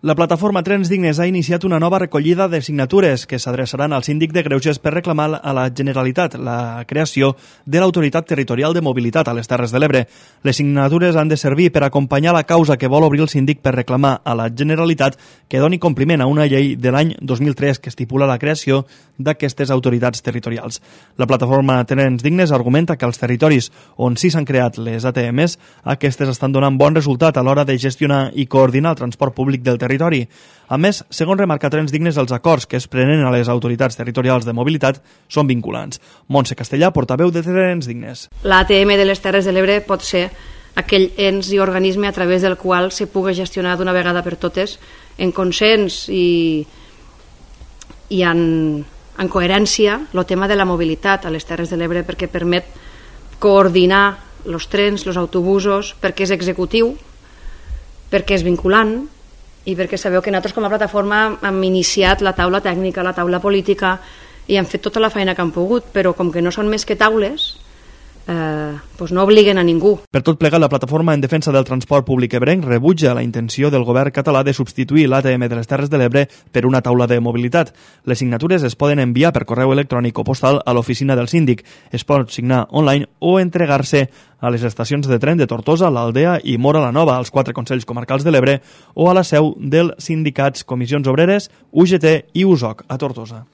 La plataforma Trens Dignes ha iniciat una nova recollida de signatures que s'adreçaran al síndic de Greuges per reclamar a la Generalitat la creació de l'Autoritat Territorial de Mobilitat a les Terres de l'Ebre. Les signatures han de servir per acompanyar la causa que vol obrir el síndic per reclamar a la Generalitat que doni compliment a una llei de l'any 2003 que estipula la creació d'aquestes autoritats territorials. La plataforma Trens Dignes argumenta que als territoris on sí s'han creat les ATMs, aquestes estan donant bon resultat a l'hora de gestionar i coordinar el transport públic del territori. A més, segons remarca Trens Dignes, els acords que es prenen a les autoritats territorials de mobilitat són vinculants. Montse Castellà, portaveu de Trens Dignes. L'ATM de les Terres de l'Ebre pot ser aquell ens i organisme a través del qual se pugui gestionar d'una vegada per totes en consens i en coherència el tema de la mobilitat a les Terres de l'Ebre, perquè permet coordinar els trens, els autobusos, perquè és executiu, perquè és vinculant i perquè sabeu que nosaltres com a plataforma hem iniciat la taula tècnica, la taula política i hem fet tota la feina que hem pogut, però com que no són més que taules, doncs no obliguen a ningú. Per tot plegat, la plataforma en defensa del transport públic ebrenc rebutja la intenció del govern català de substituir l'ATM de les Terres de l'Ebre per una taula de mobilitat. Les signatures es poden enviar per correu electrònic o postal a l'oficina del síndic. Es pot signar online o entregar-se a les estacions de tren de Tortosa, l'Aldea i Móra la Nova, als 4 Consells Comarcals de l'Ebre, o a la seu dels sindicats Comissions Obreres, UGT i USOC, a Tortosa.